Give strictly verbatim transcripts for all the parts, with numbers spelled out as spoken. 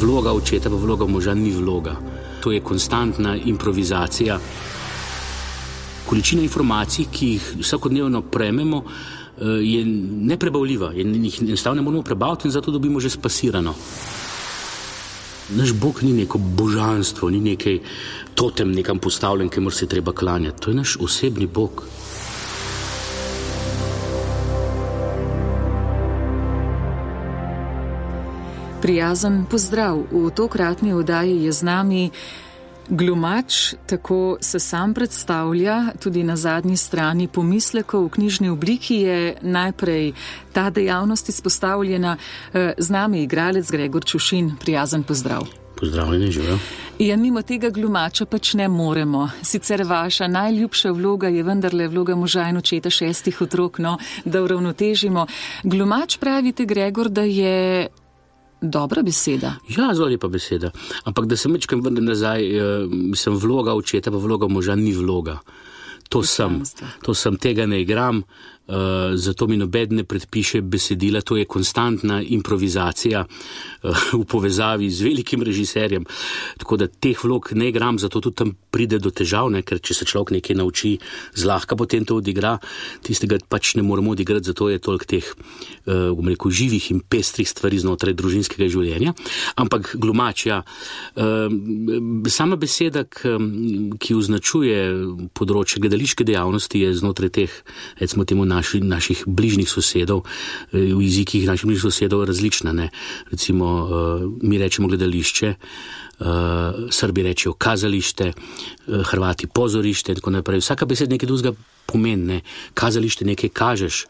vloga očeta pa vloga moža ni vloga. To je konstantna improvizacija. Količina informacij, ki jih vsakodnevno prejmemo, je neprebavljiva in jih enostavno ne moramo prebaviti in zato dobimo že spasirano. Naš Bog ni neko božanstvo, ni nekaj totem nekam postavljen, ki mora se treba klanjati. To je naš osebni Bog. Prijazen pozdrav. V tokratni oddaji je z nami glumač, tako se sam predstavlja, tudi na zadnji strani pomislekov v knjižni obliki je najprej ta dejavnost izpostavljena. Z nami je igralec Gregor Čušin. Prijazen pozdrav. Pozdravljeni, živijo. Ja, mimo tega glumača pač ne moremo. Sicer vaša najljubša vloga je vendarle vloga moža in očeta šestih otrok, no, da uravnotežimo. Glumač pravite, Gregor, da je dobra beseda. Ja, zelo lepa beseda. Ampak da se mečkam vrnem nazaj, mislim, vloga očeta pa vloga moža ni vloga. To sem. To sem, tega ne igram, uh, zato mi nobeden ne predpiše besedila, to je konstantna improvizacija uh, v povezavi z velikim režiserjem. Tako da teh vlog ne igram, zato tudi tam pride do težav, ne? Ker če se človek nekaj nauči, zlahka potem to odigra, tistega pač ne moramo odigrati, zato je toliko teh uh, bom rekel, živih in pestrih stvari znotraj družinskega življenja. Ampak glumač, ja, uh, sama beseda, k, ki označuje področje gledališke dejavnosti, je znotraj teh, recimo temu, naši, naših bližnjih sosedov, v jezikih naših bližnjih sosedov različna, ne. Recimo, uh, mi rečemo gledališče, uh, Srbi rečejo kazalište, uh, Hrvati pozorište in tako naprej. Vsaka beseda nekaj drugega pomeni, ne. Kazalište nekaj kažeš,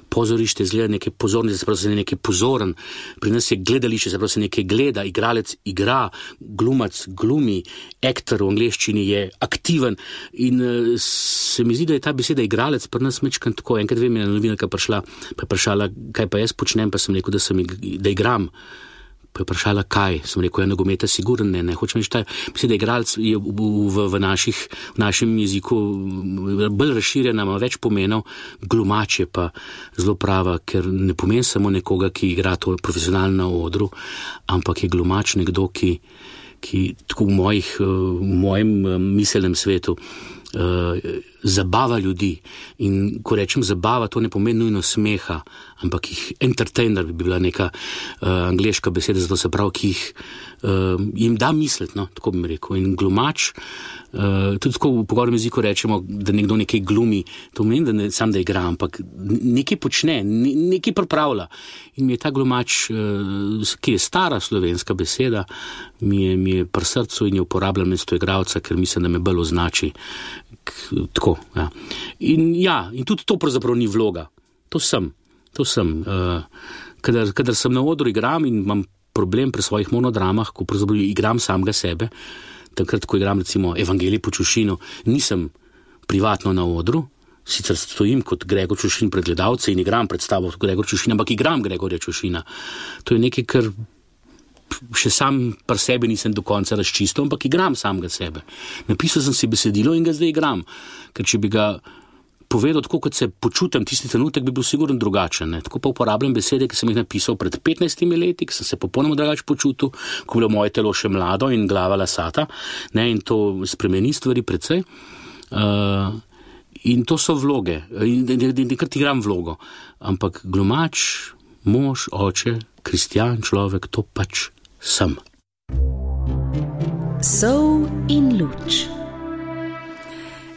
pozorište zgleda nekaj pozornosti, se pravi, se nekaj pozoren. Pri nas je gledališče, se pravi, se nekaj gleda, igralec igra, glumac glumi, aktor v angleščini je aktiven in uh, se mi zdi, da je ta beseda igralec pri nas mečkan tako. Enkrat vem, je novinarka prišla, pa je vprašala, kaj pa jaz počnem, pa sem rekel, da, sem, da igram. Pa je vprašala, kaj? Sem rekel, je nogometa sigurno ne, ne. Hočem reči, ta beseda igralec je v, v, v, naših, v našem jeziku bolj razširjena, ima več pomenov, glumač je pa zelo prava, ker ne pomeni samo nekoga, ki igra to profesionalno na odru, ampak je glumač nekdo, ki, ki tako v, mojih, v mojem miselnem svetu Uh, zabava ljudi. In ko rečem zabava, to ne pomeni nujno smeha, ampak jih entertainer bi bila neka uh, angleška beseda, zato se pravi, ki jih uh, jim da misliti, no, tako bi mi rekel. In glumač, uh, tudi tako v pogovornem jeziku rečemo, da nekdo nekaj glumi, to pomeni, da ne sam da igra, ampak nekaj počne, nekaj pripravlja. In mi je ta glumač, uh, ki je stara slovenska beseda, mi je, mi je pri srcu in je uporabljam mesto igralca, ker mislim, da me bolj označi. Tako, ja. In ja, in tudi to pravzaprav ni vloga. To sem, to sem. Uh, kadar, kadar sem na odru igram in imam problem pri svojih monodramah, ko pravzaprav igram samega sebe, takrat, ko igram recimo Evangelij po Čušinu, nisem privatno na odru, sicer stojim kot Gregor Čušin pred gledalce in igram predstavo kot Gregor Čušin, ampak igram Gregorja Čušina. To je nekaj, kar še sam pri sebi nisem do konca razčistil, ampak igram samega sebe. Napisal sem si besedilo in ga zdaj igram, ker če bi ga povedal tako, kot se počutim tisti trenutek, bi bil sigurno drugačen. Ne? Tako pa uporabljam besede, ki sem jih napisal pred petnajstimi leti, ki sem se popolnoma drugače počutil, ko bilo moje telo še mlado in glava lasata, ne? In to spremeni stvari precej. Uh, in to so vloge, in nekrat igram vlogo, ampak glumač, mož, oče, kristjan, človek, to pač sem. Sol in luč.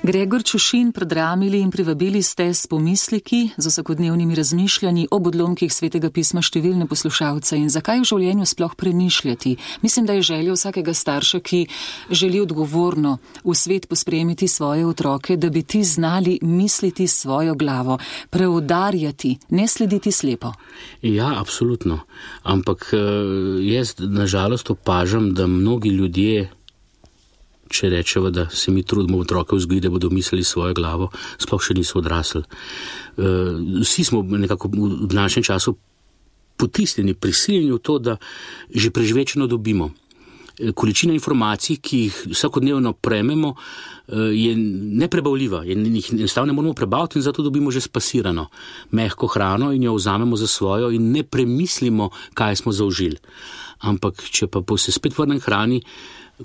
Gregor Čušin, predramili in privabili ste s pomisleki, z vsakodnevnimi razmišljanji ob odlomkih Svetega pisma številne poslušalce. In zakaj v življenju sploh premišljati? Mislim, da je želja vsakega starša, ki želi odgovorno v svet pospremiti svoje otroke, da bi ti znali misliti s svojo glavo, preudarjati, ne slediti slepo. Ja, absolutno. Ampak jaz nažalost opažam, da mnogi ljudje, če rečeva, da se mi trudimo otroke vzgojiti, da bodo mislili svojo glavo, sploh še niso odrasli. Vsi smo nekako v današnjem času potisnjeni, prisiljeni v to, da že prežvečeno dobimo. Količina informacij, ki jih vsakodnevno prejmemo, je neprebavljiva. Jih enostavno ne moramo prebaviti in zato dobimo že spasirano mehko hrano in jo vzamemo za svojo in ne premislimo, kaj smo zaužili. ampak če pa se spet vrnem hrani,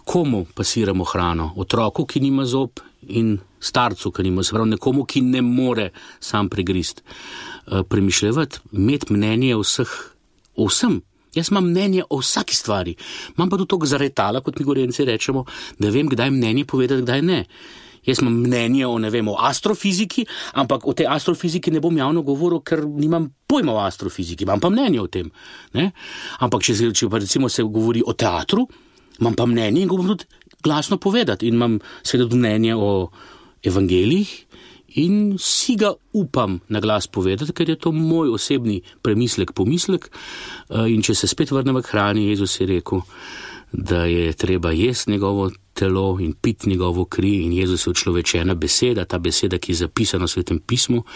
komu pasiramo hrano? Otroku, ki nima zob, in starcu, ki nima, se pravi nekomu, ki ne more sam pregrist. Premišljevati, imeti mnenje o vseh, o vsem. Jaz imam mnenje o vsaki stvari. Imam pa tudi toliko zaretala, kot mi Gorenci rečemo, da vem, kdaj mnenje povedati, kdaj ne. Jaz imam mnenje o, ne vem, o astrofiziki, ampak o tej astrofiziki ne bom javno govoril, ker nimam pojma o astrofiziki, imam pa mnenje o tem. Ne? Ampak če, če pa recimo se govori o teatru, imam pa mnenje in ga bom tudi glasno povedati. In imam seveda tudi mnenje o evangelijih in si ga upam na glas povedati, ker je to moj osebni premislek, pomislek. In če se spet vrnem k hrani, Jezus je rekel, da je treba jesti njegovo telo in piti njegovo kri, in Jezus je človečena beseda, ta beseda, ki je zapisana v Svetem pismu,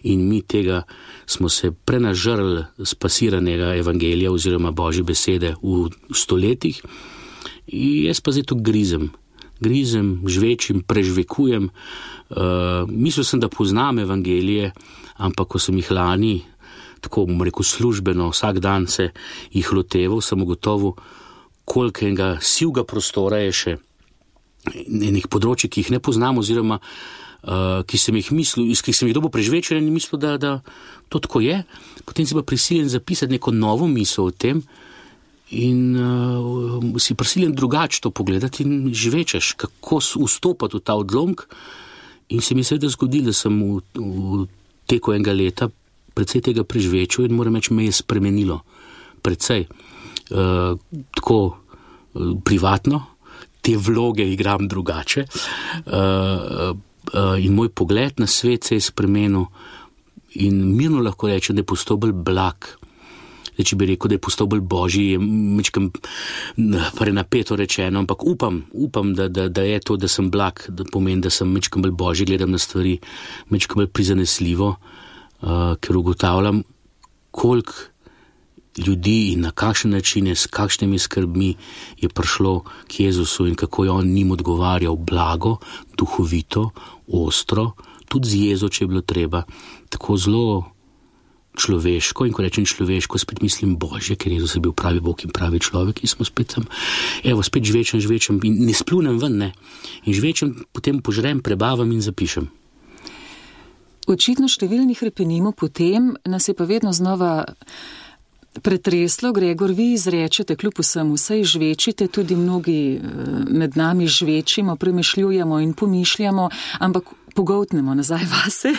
in mi tega smo se prenažrli spasiranega evangelija oziroma Božje besede v stoletjih. In jaz pa zdaj to grizem, grizem, žvečim, prežvekujem. Uh, mislil sem, da poznam evangelije, ampak ko sem jih lani, tako bom rekel službeno, vsak dan se jih loteval, sem ugotovil, koliko enega sivga prostora je še enih področji, ki jih ne poznam, oziroma uh, ki sem jih mislil, iz ki sem jih dobil prežvečen in mislil, da, da to tako je. Potem si pa prisiljen zapisati neko novo misel o tem in uh, si prisiljen drugače to pogledati in žvečeš, kako vstopati v ta odlomk. In se mi seveda zgodilo, da sem v, v teku enega leta precej tega prežvečil in moram reči, me je spremenilo. Precej. Uh, tako uh, privatno, te vloge igram drugače uh, uh, in moj pogled na svet se je spremenil in mirno lahko rečem, da je postal bolj blag. Zdaj, če bi rekel, da je postal bolj božji, je mečkam prenapeto rečeno, ampak upam, upam, da, da, da je to, da sem blag, da pomeni, da sem mečkam bolj božji, gledam na stvari, mečkam bolj prizanesljivo, uh, ker ugotavljam, koliko ljudi in na kakšen način je, s kakšnimi skrbmi je prišlo k Jezusu in kako je on njim odgovarjal blago, duhovito, ostro, tudi z jezo, če je bilo treba, tako zelo človeško, in ko rečem človeško, spet mislim Božje, ker Jezus je bil pravi Bog in pravi človek in smo spet tam, evo, spet žvečem, žvečem in ne splunem ven, ne. In žvečem, potem požrem, prebavam in zapišem. Očitno številni hrepenimo potem, nas je pa vedno znova pretreslo. Gregor, vi izrečete kljub vsemu, saj žvečite, tudi mnogi med nami žvečimo, premišljujemo in pomišljamo, ampak pogoltnemo nazaj vase.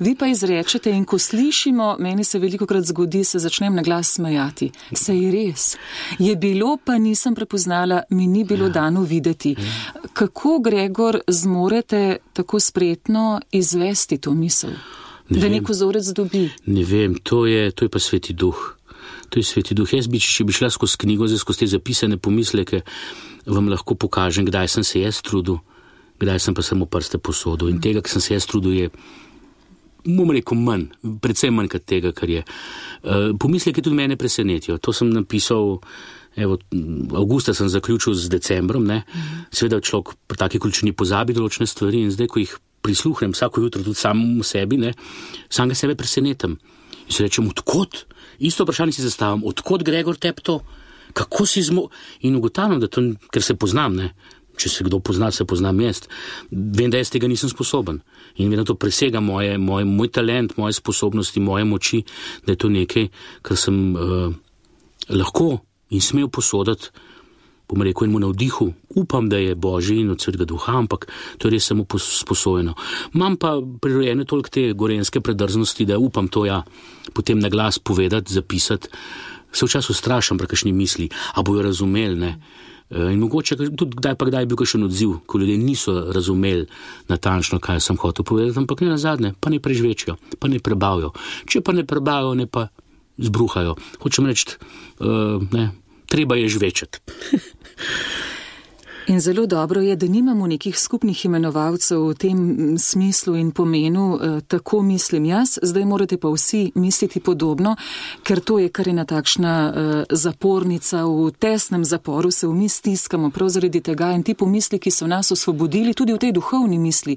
Vi pa izrečete in ko slišimo, meni se velikokrat zgodi, se začnem na glas smejati. Se je res. Je bilo, pa nisem prepoznala, mi ni bilo dano videti. Kako, Gregor, zmorete tako spretno izvesti to misel? Ne da nek vzorec dobi? Ne vem, to je, to je pa Sveti Duh. To je Sveti Duh. Jaz bi, če bi šla skozi knjigo, zdaj skozi te zapisane pomisleke, vam lahko pokažem, kdaj sem se jaz trudil, kdaj sem pa samo prste posodil. In tega, ki sem se jaz trudil, je, bom rekel, manj, predvsem manj kot tega, kar je. Uh, pomisleke tudi mene presenetijo. To sem napisal, evo, avgusta sem zaključil z decembrom, ne. Seveda človek pri taki količini pozabi določene stvari in zdaj, ko jih prisluhnem vsako jutro tudi sam v sebi, ne, sam ga sebe presenetam. In se rečem, odkot? Isto vprašanje si zastavim, odkot, Gregor, tep to? Kako si zmo... In ugotavljam, da to, ker se poznam, ne. Če se kdo pozna, se poznam jaz. Vem, da jaz tega nisem sposoben. In vem, da to presega moje, moj, moj talent, moje sposobnosti, moje moči, da je to nekaj, kar sem uh, lahko in smel posoditi, bom rekel, in mu navdihu. Upam, da je Božji in od Svetega Duha, ampak to je res samo sposojeno. Imam pa prirojene toliko te gorenske predrznosti, da upam to ja potem na glas povedati, zapisati. Se včasih strašam pri kakšni misli, a bojo razumeli, ne. In mogoče tudi kdaj pa kdaj je bil kakšen odziv, ko ljudje niso razumeli natančno, kaj sem hotel povedati, ampak ne nazadnje, pa ne prežvečijo, pa ne prebavijo. Če pa ne prebavijo, ne pa zbruhajo. Hočem reči, uh, ne, treba je žvečati. In zelo dobro je, da nimamo nekih skupnih imenovalcev v tem smislu in pomenu, tako mislim jaz, zdaj morate pa vsi misliti podobno, ker to je kar ena takšna zapornica, v tesnem zaporu se mi stiskamo prav zaradi tega in ti pomisli, ki so nas osvobodili tudi v tej duhovni misli.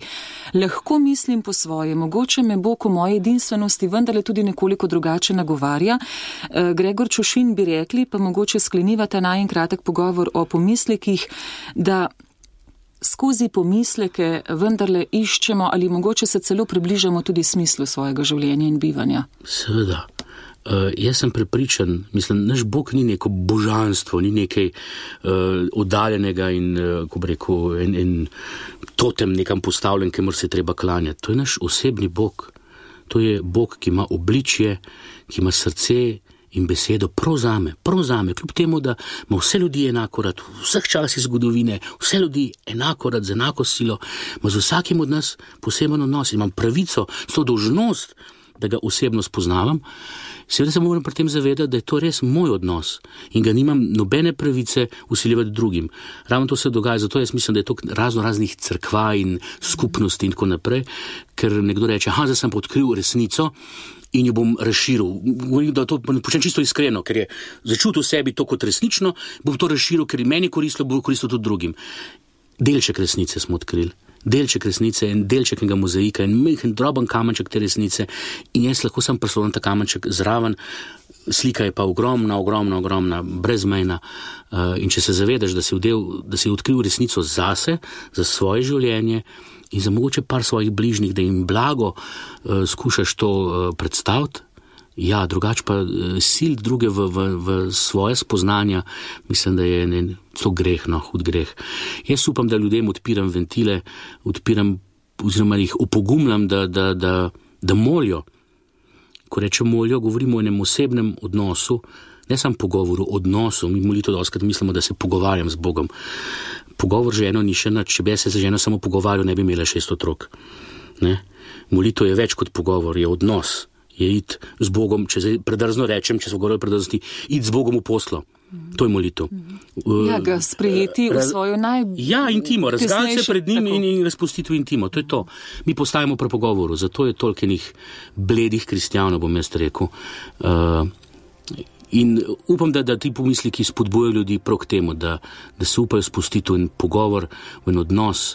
Lahko mislim po svoje, mogoče me Bog v moje edinstvenosti vendarle tudi nekoliko drugače nagovarja. Gregor Čušin bi rekli, pa mogoče skleniva ta najin kratek pogovor o pomislekih, da skozi pomisleke vendarle iščemo ali mogoče se celo približamo tudi smislu svojega življenja in bivanja. Seveda. Uh, jaz sem prepričan, mislim, naš Bog ni neko božanstvo, ni nekaj uh, oddaljenega in, uh, ko bi rekel, en, en totem nekam postavljen, kemor se treba klanjati. To je naš osebni Bog. To je Bog, ki ima obličje, ki ima srce in besedo prav zame, prav zame, kljub temu, da ima vse ljudi enako rad, v vseh časih zgodovine, vse ljudi enako rad, z enako silo, ima z vsakim od nas poseben odnos in imam pravico, s to dolžnost, da ga osebno spoznavam. Seveda se moram pri tem zavedati, da je to res moj odnos in ga nimam nobene pravice vsiljevati drugim. Ravno to se dogaja, zato jaz mislim, da je to razno raznih crkva in skupnosti in tako naprej, ker nekdo reče, aha, zdaj sem pa odkril resnico in jo bom razširil. Govorim, da to počnem čisto iskreno, ker je začutil v sebi to kot resnično, bom to razširil, ker je meni koristilo, bo koristilo tudi drugim. Delček resnice smo odkrili. Delček resnice in delček enega mozaika in majhen droben kamenček te resnice in jaz lahko sem prisoten ta kamenček zraven, slika je pa ogromna, ogromna, ogromna, brezmejna in če se zavedaš, da si, vdel, da si odkril resnico zase, za svoje življenje in za mogoče par svojih bližnjih, da jim blago uh, skušaš to uh, predstaviti, ja, drugače pa uh, sil druge v, v, v svoje spoznanja, mislim, da je ne, to greh, no, hud greh. Jaz upam, da ljudem odpiram ventile, odpiram oziroma jih opogumljam, da, da, da, da molijo. Ko rečem molijo, govorimo o enem osebnem odnosu, ne samo pogovoru, odnosu. Mi molitev dostikrat mislimo, da se pogovarjam z Bogom. Pogovor ženo ni še nič, če bi se ženo samo pogovarjal, ne bi imela šest otrok. Ne? Molitev je več kot pogovor, je odnos, je iti z Bogom, če se predrzno rečem, če se govorijo predrznosti, iti z Bogom v poslo. To je molitev. Ja, ga sprejeti v svojo naj... Ja, intimo, razgaliti se pred njim in, in razpustiti v intimo, to je to. Mi postajamo pri pogovoru, zato je toliko enih bledih kristjanov, bom jaz rekel. Uh, In upam, da, da ti pomisliki spodbujajo ljudi prav k temu, da, da se upajo spustiti v en pogovor, v en odnos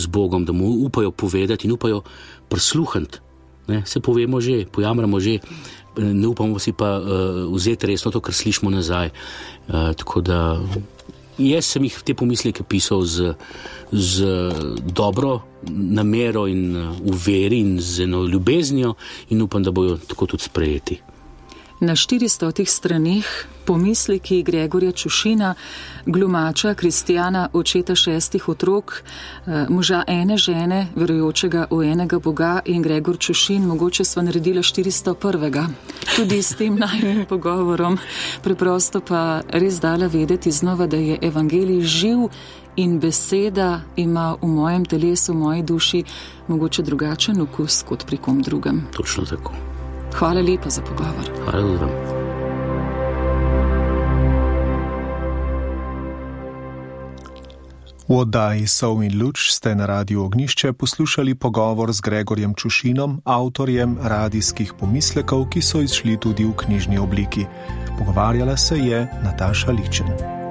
z Bogom, da mu upajo povedati in upajo prisluhniti. Ne, se povemo že, pojamramo že, ne upamo si pa uh, vzeti resno to, kar slišimo nazaj. Uh, tako da jaz sem jih te pomisleke pisal z, z dobro namero in uh, v veri in z eno ljubeznijo in upam, da bojo tako tudi sprejeti. Na štiristotih straneh pomisleki Gregorja Čušina, glumača, kristjana, očeta šestih otrok, moža ene žene, verujočega v enega Boga in Gregor Čušin, mogoče sva naredila štiristo prvega. Tudi s tem najnim pogovorom. Preprosto pa res dala vedeti znova, da je evangelij živ in beseda ima v mojem telesu, v moji duši mogoče drugačen okus kot pri kom drugem. Točno tako. Hvala lepa za pogovor. Hvala lepa. V oddaji Sol in luč ste na Radiu Ognjišče poslušali pogovor z Gregorjem Čušinom, avtorjem radijskih pomislekov, ki so izšli tudi v knjižni obliki. Pogovarjala se je Nataša Ličen.